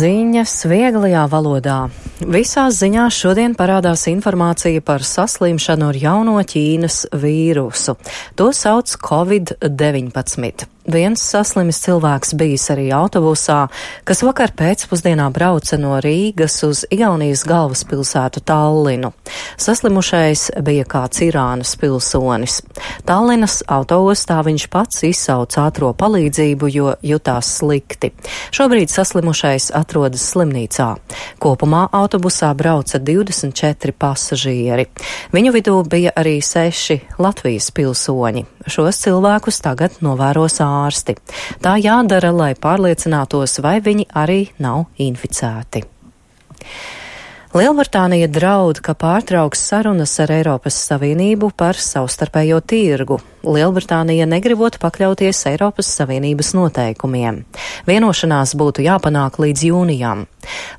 Ziņas vieglajā valodā. Visās ziņās šodien parādās informācija par saslimšanu ar jauno Ķīnas vīrusu. To sauc Covid-19. Viens saslimis cilvēks bijis arī autobusā, kas vakar pēcpusdienā brauca no Rīgas uz Igaunijas galvaspilsētu Tallinu. Saslimušais bija kāds Irānas pilsonis. Tallinas autoostā viņš pats izsauca ātro palīdzību, jo jutās slikti. Šobrīd saslimušais atrodas slimnīcā. Kopumā autobusā brauca 24 pasažieri. Viņu vidū bija arī 6 Latvijas pilsoņi. Šos cilvēkus tagad novēros ārsti. Tā jādara, lai pārliecinātos, vai viņi arī nav inficēti. Lielbritānija draud, ka pārtrauks sarunas ar Eiropas Savienību par savstarpējo tirgu. Lielbritānija negribot pakļauties Eiropas Savienības noteikumiem. Vienošanās būtu jāpanāk līdz jūnijam.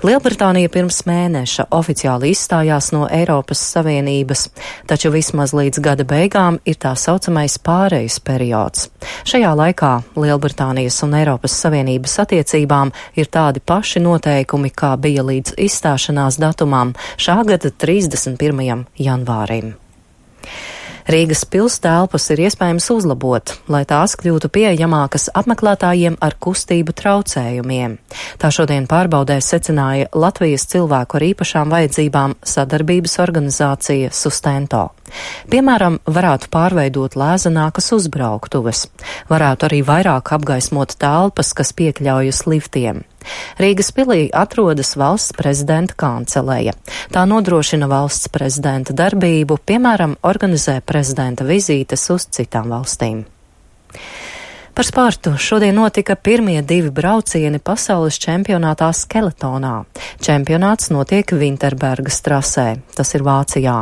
Lielbritānija pirms mēneša oficiāli izstājās no Eiropas Savienības, taču vismaz līdz gada beigām ir tā saucamais pārejas periods. Šajā laikā Lielbritānijas un Eiropas Savienības attiecībām ir tādi paši noteikumi, kā bija līdz izstāšanās datumam šā gada 31. janvārim. Rīgas pils telpas ir iespējams uzlabot, lai tās kļūtu pieejamākas apmeklētājiem ar kustību traucējumiem. Tā šodien pārbaudē secināja Latvijas cilvēku ar īpašām vajadzībām sadarbības organizācija Sustento. Piemēram, varētu pārveidot lēzenākas uzbrauktuves. Varētu arī vairāk apgaismot telpas, kas piekļaujas liftiem. Rīgas pilī atrodas valsts prezidenta kanceleja. Tā nodrošina valsts prezidenta darbību, piemēram, organizē prezidenta vizītes uz citām valstīm. Par sportu šodien notika pirmie 2 braucieni pasaules čempionātā skeletonā. Čempionāts notiek Vinterbergas trasē, tas ir Vācijā.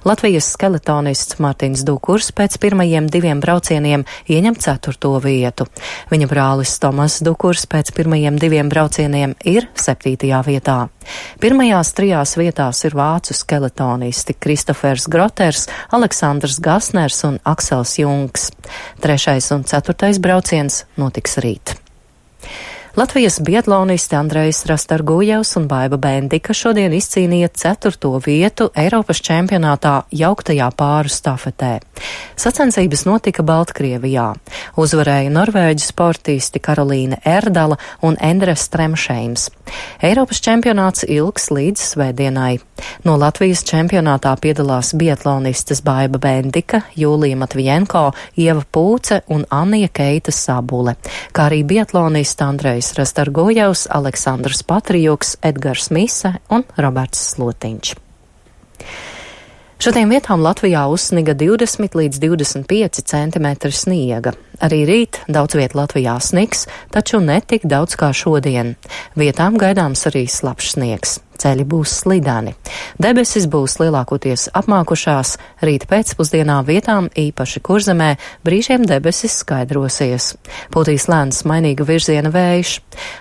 Latvijas skeletonists Martins Dukurs pēc pirmajiem 2 braucieniem ieņem 4. vietu. Viņa brālis Tomas Dukurs pēc pirmajiem 2 braucieniem ir 7. vietā. Pirmajās 3 vietās ir vācu skeletonisti Kristofers Groters, Aleksandrs Gasners un Aksels Jungs. 3. un 4. brauciens notiks rīt. Latvijas biatlonisti Andrejs Rastargujevs un Baiba Bendika šodien izcīnīja 4. vietu Eiropas čempionātā jauktajā pāru stafetē. Sacensības notika Baltkrievijā. Uzvarēja norvēģu sportisti Karolīne Erdala un Endres Stremšeims. Eiropas čempionāts ilgs līdz svētdienai. No Latvijas čempionātā piedalās biatlonistes Baiba Bendika, Jūlija Matvijenko, Ieva Pūce un Annija Keita Sabule, kā arī biatlonista Andrejs Rastargujevs, Aleksandrs Patrijuks, Edgars Mise un Roberts Slotiņš. Šodien vietām Latvijā uzsniga 20 līdz 25 centimetri sniega. Arī rīt daudz viet Latvijā snigs, taču ne tik daudz kā šodien. Vietām gaidāms arī slapjš sniegs. Ceļi būs slideni. Debesis būs lielākoties apmākušās, rīt pēcpusdienā vietām īpaši Kurzemē brīžiem debesis skaidrosies. Pūtīs lēns mainīga virziena vējš.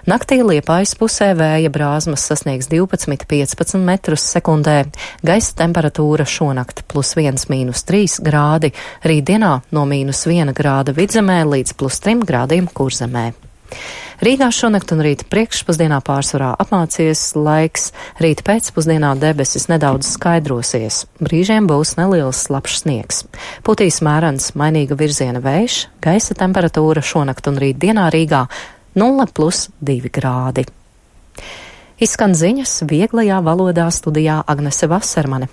Naktī Liepājas pusē vēja brāzmas sasniegs 12–15 metrus sekundē. Gaisa temperatūra šonakt +1–3 grādi, rītdienā no -1 grāda Vidzemē līdz +3 grādiem Kurzemē. Rīgā šonakt un rīt priekšpusdienā pārsvarā apmācies laiks, rīt pēcpusdienā debesis nedaudz skaidrosies, brīžiem būs neliels slapjš sniegs. Pūtīs mērens mainīga virziena vējš, gaisa temperatūra šonakt un rīt dienā Rīgā 0+2 grādi. Izskan ziņas vieglajā valodā studijā Agnese Vasermane.